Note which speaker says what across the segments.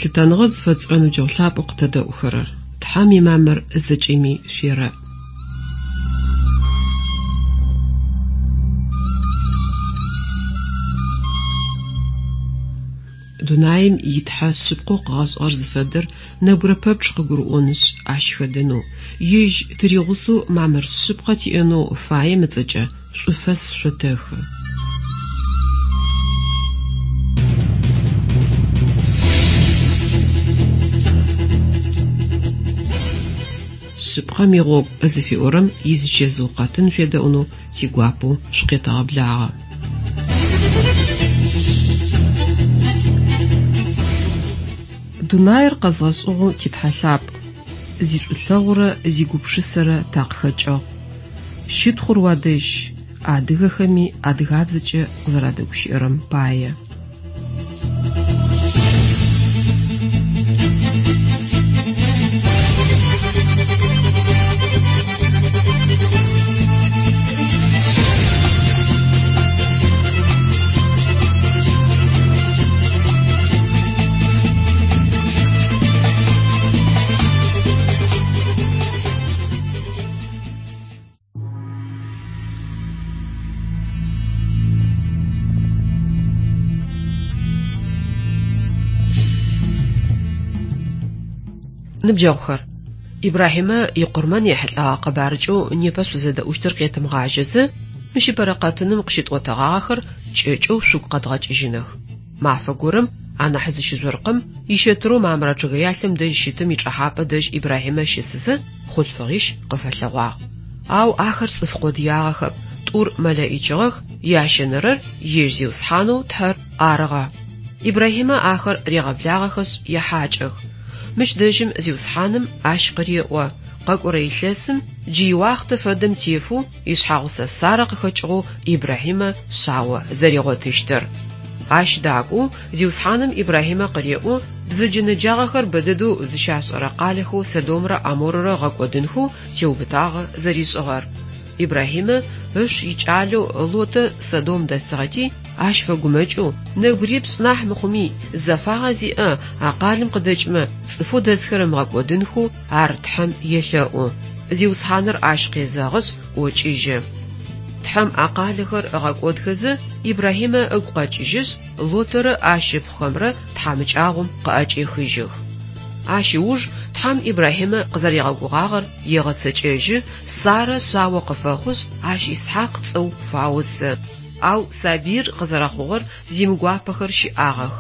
Speaker 1: Лъытэныгъэ зыфэтшӏырэ ныбджэгъу лъапӏэу къытэдэӏухэрэр, Тхьэм имамыр зэкӏэми шъуерэӏ. Дунаим и Тхьэ шъыпкъэу къыгъэшӏыгъэр зыфэдэр нэбгырэ пэпчъ къыгурыӏонышъ, ащ хэдэнэу, ежь тыригъусэу мамыр шъыпкъэ тиӏэнэу фаем ыцӏэкӏэ шӏуфэс шъотэхы. Шъыпкъэм игъогу зыфиӏорэм изычэзыу къэтын шъуедэӏунэу тигуапэу шъукъетэгъэблагъэ. Дунаир къэзгъэшӏыгъэу ти Тхьэ лъапӏ, зишӏулъэгъурэ зигупшысэрэ такъыхэкӏыгъ. Щытхъур уадэжь, адыгэхэми адыгабзэкӏэ къызэрадэгущыӏэрэм пае. Ныбджэгъухэр, Ибрахьимэ икъурмэн ехьылӏэгъэ къэбарыкӏэу непэ шъузэдэӏущтыр къетымыгъажьэзэ, мыщ ыпэрэ къэтыным къыщытӏотэгъагъэхэр кӏэкӏэу шъугу къэдгъэкӏыжьыных. Мафэ горэм, анахь зыщыжъоркъым, ищэтырэу Мамрэ чъыгэялъэм дэжь щытым ичӏэхьапӏэ дэжь Ибрахьимэ щысызэ, хъулъфыгъищ къыфэлъэгъуагъ. Ау ахэр цӏыф къодыягъэхэп, тӏур мэлэӏичыгъэх, ящэнэрэр ежь Зиусхьанэу Тхьэр арыгъэ. Ибрахьимэ ахэр регъэблагъэхэшъ ехьакӏэх. Мыщ дэжьым Зиусхьаным ащ къыреӏо, къэкӏорэ илъэсым джы иуахътэ фэдэм тефэу ишъхьагъусэ Сарэ къыхэкӏыгъэу Ибрахьимэ шъао зэригъотыщтыр. Ащ дакӏоу Зиусхьаным Ибрахьимэ къыреӏо бзэджэ-нэджагъэхэр бэдэдэу зыщашӏэрэ къалэхэу Содомрэ ӏаморрэ гъэкӏодынхэу теубытагъэ зэришӏыгъэр. Ибрахьимэ ыш икӏалэу Лотэ Содом дэсыгъэти, ащ фэгумэкӏэу, нэбгырипшӏ нахь мыхъуми, зэфагъэ зиӏэ а къалэм къыдэкӏымэ, цӏыфэу дэсхэр ымыгъэкӏодынхэу ар Тхьэм елъэӏу. Зиусхьаныр ащ къезэгъышъ, ӏокӏыжьы. Тхьэм а къалэхэр ыгъэкӏодхэзэ, Ибрахьимэ ыгу къэкӏыжьышъ, Лотэрэ ащ ыпхъухэмрэ тхьамыкӏагъом къыӏэкӏехыжьых. Ащ ыуж Тхьэм Ибрахьимэ къызэригъэгугъагъэр егъэцэкӏэжьы, Сарэ шъао къыфэхъушъ, ащ Исхьакъ цӏэу фаусы. Ау сабыир къызэрэхъугъэр зимыгуапэхэр щыӏагъэх.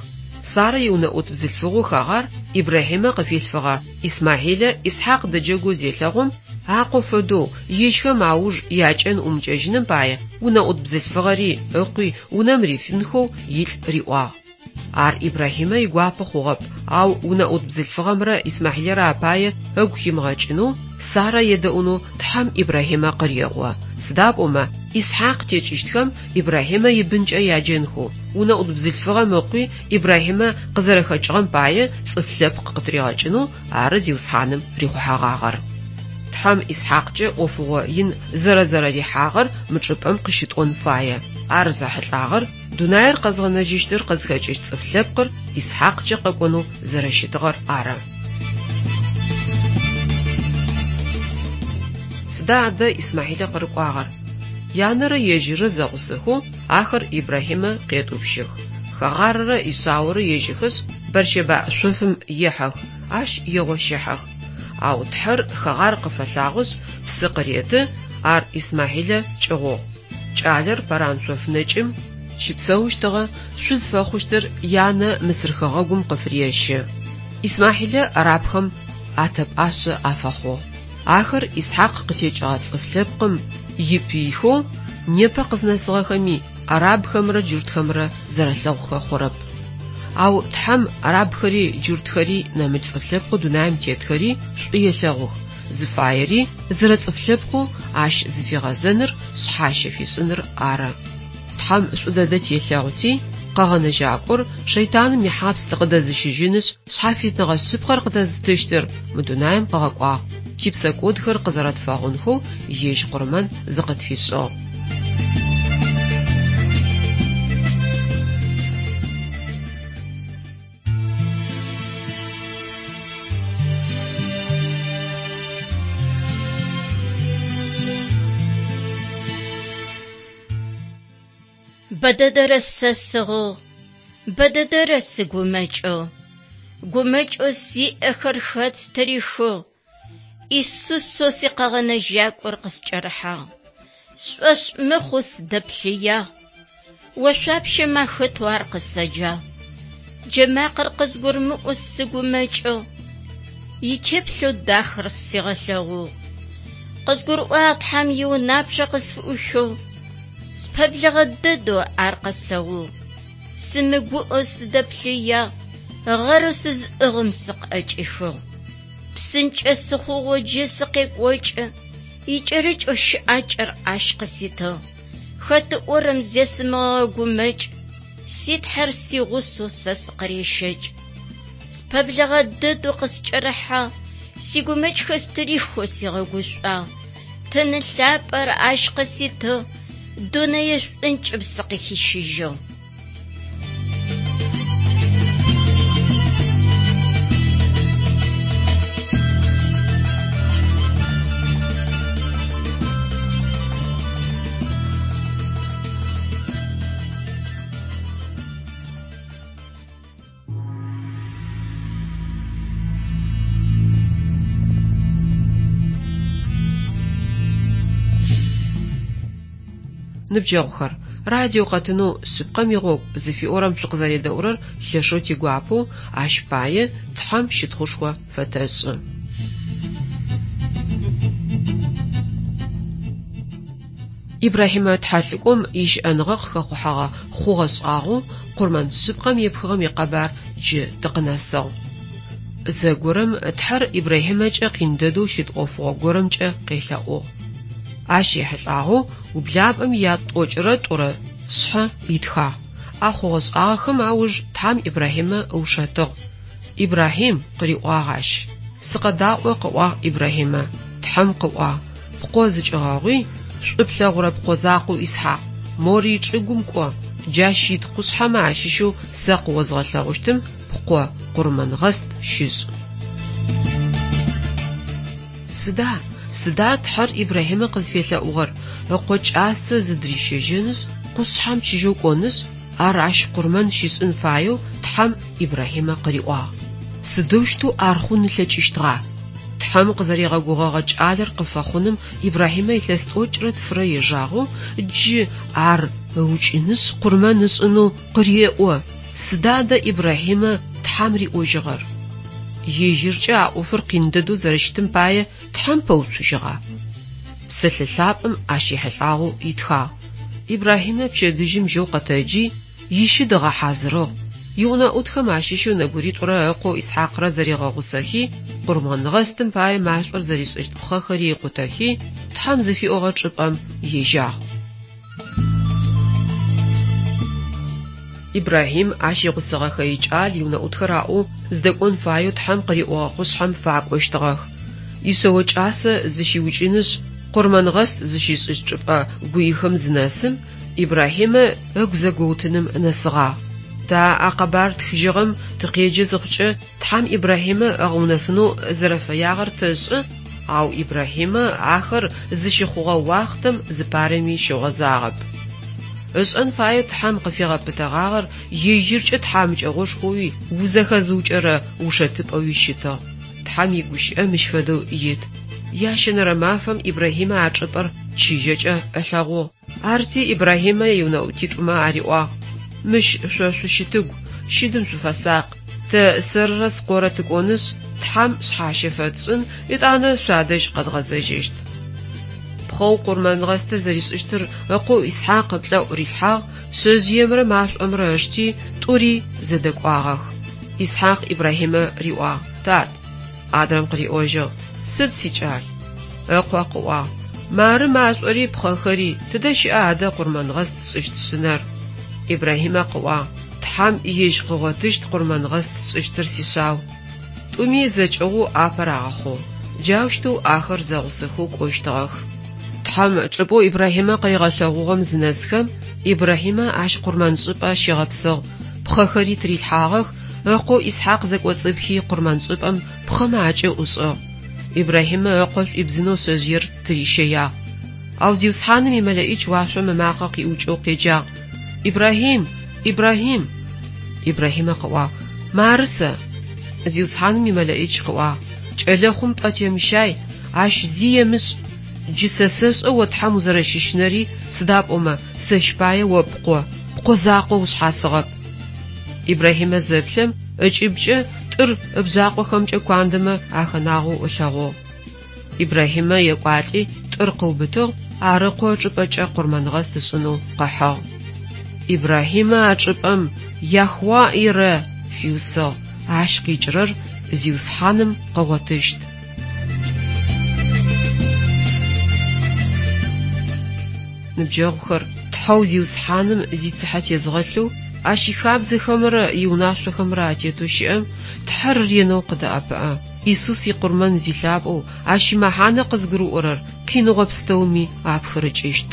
Speaker 1: Сарэ иунэӏут бзылъфыгъэу Хэгъар Ибрахьимэ къыфилъфыгъэ Исмахьилэ Исхьакъ дэджэгоу зелъэгъум, акъо фэдэу, ежьхэм ауж якӏэн ӏумыкӏэжьыным пае унэӏут бзылъфыгъэри ыкъуи унэм рифынхэу илӏ риӏуагъ. Ар Ибрахьимэ игуапэ хъугъэп, ау унэӏут бзылъфыгъэмрэ Исмахьилэрэ апае ыгу химыгъэкӏынэу, Сарэ едэӏунэу Тхьэм Ибрахьимэ къыреӏо. Сыда пӏомэ, Исхьакъ текӏыщтхэм Ибрахьимэ ибынкӏэ яджэнхэу, унэӏут бзылъфыгъэм ыкъуи Ибрахьимэ къызэрэхэкӏыгъэм пае цӏыф лъэпкъ къытыригъэкӏынэу ары Зиусхьаным рихъухьэгъагъэр. Тхьэм Исхьакъкӏэ ӏофыгъо ин зэрэзэрэрихьагъэр мы чӏыпӏэм къыщытӏон фае. Ар зэхьылӏагъэр дунаир къэзгъэнэжьыщтыр къызхэкӏыщт цӏыф лъэпкъыр Исхьакъкӏэ къэкӏонэу зэрэщытыгъэр ары. Сыда адэ Исмахьилэ къырыкӏуагъэр? Янэрэ ежьыррэ зэгъусэхэу ахэр Ибрахьимэ къетӏупщых. Хэгъаррэ ишъаорэ ежьэхэшъ, Бэрщэбаӏ шъофым ехьэх, ащ егъощыхьэх. Ау Тхьэр Хэгъар къыфэлъагъошъ, псы къыреты, ар Исмахьилэ кӏыгъугъ. Кӏалэр Паран шъоф нэкӏым щыпсэущтыгъэ, шъуз фэхъущтыр янэ Мысыр хэгъэгум къыфырещы. Исмахьилэ арабхэм атэ пӏашъэ афэхъугъ. Ахэр Исхьакъ къытекӏыгъэ цӏыф лъэпкъым ипыйхэу непэ къызнэсыгъэхэми арабхэмрэ джуртхэмрэ зэрэлъэгъухэ хъурэп. Ау Тхьэм арабхэри джуртхэри нэмыкӏ цӏыф лъэпкъэу дунаим тетхэри шӏу елъэгъух, зыфаери зэрэцӏыф лъэпкъэу ащ зыфигъэзэныр, шъхьащэ фишӏыныр ары. Тхьэм шӏу дэдэ телъэгъути, Къэгъэнэжьакӏор шэйтаным ихьапс тыкъыдэзыщыжьынышъ, шъхьафитныгъэ шъыпкъэр къытэзытыщтыр мы дунаим къыгъэкӏуагъ, типсэкӏодхэр къызэрэтфэгъунхэу ежь къурмэн зыкъытфишӏыгъ.
Speaker 2: Бэдэдэрэ сэ сыгъыгъ, бэдэдэрэ сыгумэкӏыгъ. Гумэкӏэу сиӏэхэр хэт стырихыгъ? Исусэу си Къэгъэнэжьакӏор къыскӏэрыхьагъ. Сшӏошъ мыхъоу сыдэплъыягъ. Ошъуапщэмэ ахэтэу ар къысэджагъ. Джэмакъэр къызгурымыӏоу сыгумэкӏыгъ. Итеплъэу дахэр сигъэлъэгъугъ. Къызгурыӏуагъ Тхьэм иунапчъэ къысфыӏуихыгъ. Спэблэгъэ дэдэу ар къэслъэгъугъ. Сымыгуӏэу сыдэплъыягъ, гъэрэу сызыӏыгъым сыкъыӏэкӏихыгъ. Псынкӏэ сыхъугъэу джы сыкъекӏокӏы, икӏэрыкӏэу щыӏакӏэр ащ къыситыгъ. Хэт ыӏорэм зесымыгъэгумэкӏ, си Тхьэр сигъусэу сэ сыкъырещэкӏ. Спэблэгъэ дэдэу къыскӏэрыхьагъ, сигумэкӏхэр стырихэу сигъэгушӏуагъ. Тын лъапӏэр ащ къыситыгъ, дунэе шӏункӏым сыкъыхищыжьыгъ.
Speaker 1: Ныбджэгъухэр, радио къэтынэу Шъыпкъэм игъогу зыфиӏорэм шъукъызэредэӏурэр лъэшэу тигуапэу, ащ пае Тхьэм щытхъушхо фэтэшӏы. Ибрахьимэ тхьэлӏыкӏом ищыӏэныгъэ къыхэхъухьэгъэ хъугъэ-шӏагъэу къурмэн шъыпкъэм епхыгъэм икъэбар джы тыкъынэсыгъ. Зэгорэм Тхьэр Ибрахьимэкӏэ къин дэдэу щыт ӏофыгъо горэмкӏэ къелъэӏугъ. Ащ ехьылӏагъэу ублапӏэм ятӏокӏырэ тӏурэ шъхьэ итхагъ. А хъугъэ-шӏагъэхэм ауж Тхьэм Ибрахьимэ ыушэтыгъ. Ибрахьим, къыриӏуагъ ащ. Сыкъэдаӏо, къыӏуагъ Ибрахьимэ. Тхьэм къыӏуагъ, Пкъо зыкӏыгъэгъуи, шӏу плъэгъурэ пкъо закъоу Исхьакъ, Морый чӏыгум кӏо, джащ ит къушъхьэмэ ащыщэу сэ къыозгъэлъэгъущтым пкъо къурмэнгъэст щышӏ. Сыда, сыда Тхьэр Ибрахьимэ къызфелъэӏугъэр, ыкъо кӏасэ зыдырищэжьэнышъ, къушъхьэм чыжьэу кӏонышъ, ар ащ къурмэн щишӏын фаеу Тхьэм Ибрахьимэ къыриӏуагъ. Сыдэущтэу ар хъун ылъэкӏыщтыгъа? Тхьэм къызэригъэгугъэгъэ кӏалэр къыфэхъуным Ибрахьимэ илъэс тӏокӏырэ тфырэ ежагъэу, джы ар ыукӏынышъ къурмэн ышӏынэу къыреӏо. Сыда адэ Ибрахьимэ Тхьэм риӏожьыгъэр? Ежьыркӏэ а ӏофыр къин дэдэу зэрэщытым пае Тхьэм пэуцужьыгъа? Псэлъэ лъапӏэм ащ ехьылӏагъэу итхагъ. Ибрахьимэ пчэдыжьым жьэу къэтэджи, ищыд ыгъэхьазырыгъ. Иунэӏутхэм ащыщэу нэбгыритӏурэ ыкъоу Исхьакърэ зэригъэгъусэхи, къурмэнгъэстым пае машӏор зэришӏыщт пхъэхэри ыкъутэхи, Тхьэм зыфиӏогъэ чӏыпӏэм ежьагъ. Ибрахьим ащ игъусэгъэхэ икӏал иунэӏутхэр аӏоу зыдэкӏон фаеу Тхьэм къыриӏогъэ къушъхьэм факӏощтыгъэх. Ишъэо кӏасэ зыщиукӏынышъ, къурмэнгъэст зыщишӏыщт чӏыпӏэ гуихэм зынэсым, Ибрахьимэ ыгу зэгоутыным нэсыгъагъ. Тэ а къэбар тхыжьыгъэм тыкъеджэ зыхъукӏэ, Тхьэм Ибрахьимэ ыгъэунэфынэу зэрэфэягъэр тэшӏэ, ау Ибрахьимэ ахэр зыщыхъугъэ уахътэм зыпарэми щыгъозагъэп. Ышӏэн фаеу Тхьэм къыфигъэпытэгъагъэр ежьыркӏэ тхьамыкӏэгъошхоуи узэхэзыукӏэрэ ушэтыпӏэуи щытыгъ. Тхьэм игущыӏэ мыщ фэдэу ит. Ящэнэрэ мафэм Ибрахьимэ а чӏыпӏэр чыжьэкӏэ ылъэгъугъ. Арти Ибрахьимэ иунэӏутитӏумэ ариӏуагъ, Мыщ шъо шъущытыгу, щыдым шъуфэсакъ. Тэ сэрырэ скъорэ тыкӏонышъ, Тхьэм шъхьащэ фэтшӏын, етӏанэ шъуадэжь къэдгъэзэжьыщт. Пхъэу къурмэнгъэстыр зэришӏыщтыр ыкъоу Исхьакъ ыплӏэӏу рилъхьагъ, шъэжъыемрэ машӏомрэ ышти, тӏури зэдэкӏуагъэх. Исхьакъ Ибрахьимэ риӏуагъ, Тат! Адрэм къыриӏожьыгъ, Сыд, сикӏал? Ыкъо къыӏуагъ, Мары машӏори пхъэхэри, тыдэ щыӏа адэ къурмэнгъэст тшӏыщт шъынэр? Ибрахьимэ къыӏуагъ, Тхьэм ежь къыгъотыщт къурмэнгъэст тшӏыщтыр, сишъау. Тӏуми зэкӏыгъоу апэ рагъэхъугъ. Джаущтэу ахэр зэгъусэхэу кӏощтыгъэх. Тхьэм чӏыпӏэу Ибрахьимэ къыригъэлъэгъугъэм зынэсхэм, Ибрахьимэ ащ къурмэншӏыпӏэ щигъэпсыгъ, пхъэхэри тырилъхьагъэх, ыкъоу Исхьакъ зэкӏоцӏыпхи къурмэншӏыпӏэм пхъэмэ акӏыӏу ышӏыгъ. Ибрахьимэ ыкъо шӏуибзынэу шъэжъыер тырищэягъ. Ау Зиусхьаным и Мэлэӏич уашъом ымакъэ къиӏукӏэу къеджагъ. Ибрахьим! Ибрахьим! Ибрахьимэ къыӏуагъ, Мары сэ. Зиусхьаным и МэлэӀич къыӏуагъ, Кӏэлэхъум пӏэ темыщай, ащ зи емышӏ. Джы сэ сэшӏэ о Тхьэм узэрэщыщынэри, сыда пӏомэ, сэщ пае о пкъо, пкъо закъо ушъхьасыгъэп. Ибрахьимэ зэплъэм, ыкӏыбкӏэ тӏыр ыбжъакъохэмкӏэ куандэмэ ахэнагъэу ылъэгъугъ. Ибрахьимэ екӏуалӏи, тӏыр къыубытыгъ, ар ыкъо ычӏыпӏэкӏэ къурмэнгъэст ышӏынэу къыхьыгъ. Ибрахьимэ а чӏыпӏэм Яхуа-Ирэ фиусыгъ, ащ къикӏырэр Зиусхьаным къыгъотыщт. Ныбджэгъухэр, Тхьэу Зиусхьаным зицыхьэ тезгъэлъэу, Ащ ихабзэхэмрэ иунашъохэмрэ атетэу щыӏэм Тхьэр ренэу къыдэӏэпыӏэ. Исус икъурмэн зилъапӏэу, ащ имэхьанэ къызгурыӏорэр къиныгъо пстэуми апхырыкӏыщт.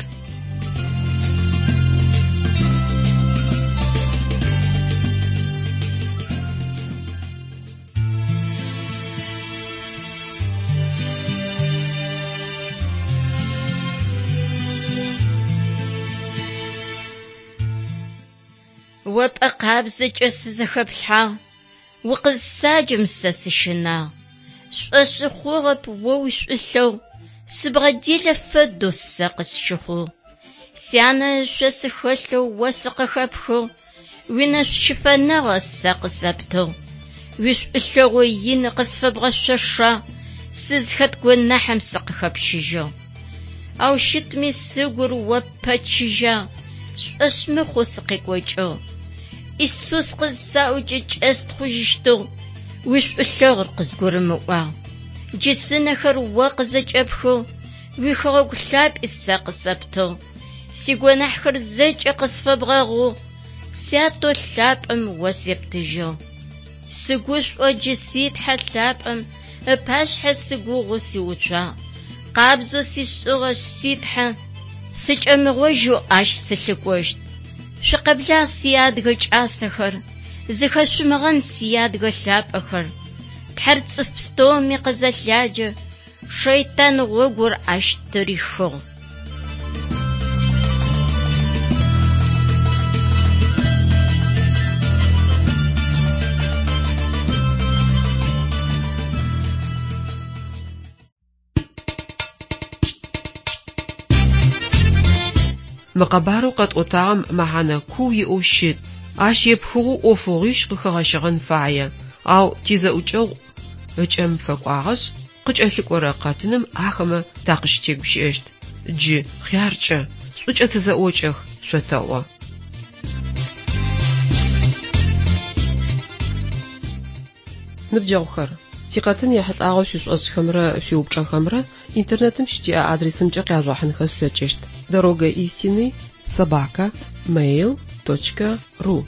Speaker 2: О пӏэ къабзэкӏэ сызэхэплъхьагъ, укъызсаджэм сэ сыщынагъ. Сшӏошъы хъугъэп о уишӏулъэгъу, сыбгъэделэ фэдэу сэ къысщыхъугъ. Сянэ ышъо сыхэлъэу о сыкъыхэпхыгъ, уинэшӏу-щыфэныгъэ сэ къысэптыгъ. Уишӏулъэгъу ин къысфэбгъэшъошагъ, сызхэт гонахьым сыкъыхэпщыжьыгъ. Ау щытми сыгур о ппэчыжьагъ, сшӏошъ мыхъоу сыкъекӏокӏыгъ. Исус къызысаӏокӏэ кӏэстхъужьыщтыгъ, уишӏулъэгъур къызгурымыӏуагъ. Джы сынэхэр о къызэкӏэпхыгъ, уихэгъэгу лъапӏи сэ къысэптыгъ. Сигонахьхэр зэкӏэ къысфэбгъэгъугъ, Сятэу лъапӏэм о септыжьыгъ. Сыгушӏо джы си Тхьэ лъапӏэм ыпашъхьэ сыгугъэу сиуцуагъ. Къабзэу сишӏыгъэшъ си Тхьэ, сыкӏэмыгъожьэу ащ сылъыкӏощт. Шъукъэблагъ сиадыгэ кӏасэхэр, зыхэшъумыгъэн сиадыгэ лъапӏэхэр. Тхьэр цӏыф пстэуми къызэлъяджэ, шэйтан гъогур ащ тырихыгъ.
Speaker 1: Мы къэбарэу къэтӏотагъэм мэхьанэ куу иӏэу щыт, ащ епхыгъэу ӏофыгъуищ къыхэгъэщыгъэн фае, ау тизэӏукӏэгъу ыкӏэм фэкӏуагъэшъ, къыкӏэлъыкӏорэ къэтыным ахэмэ такъыщытегущыӏэщт. Джы хъяркӏэ, шӏукӏэ тызэӏокӏэх, шъотэӏо. Ныбджэгъухэр, тикъэтын ехьылӏагъэу шъуишӏошӏхэмрэ шъуиупчӏэхэмрэ интернетым щытиӏэ адресымкӏэ къяжъугъэхьынхэ шъулъэкӏыщт: дорога истины собака mail точка ru.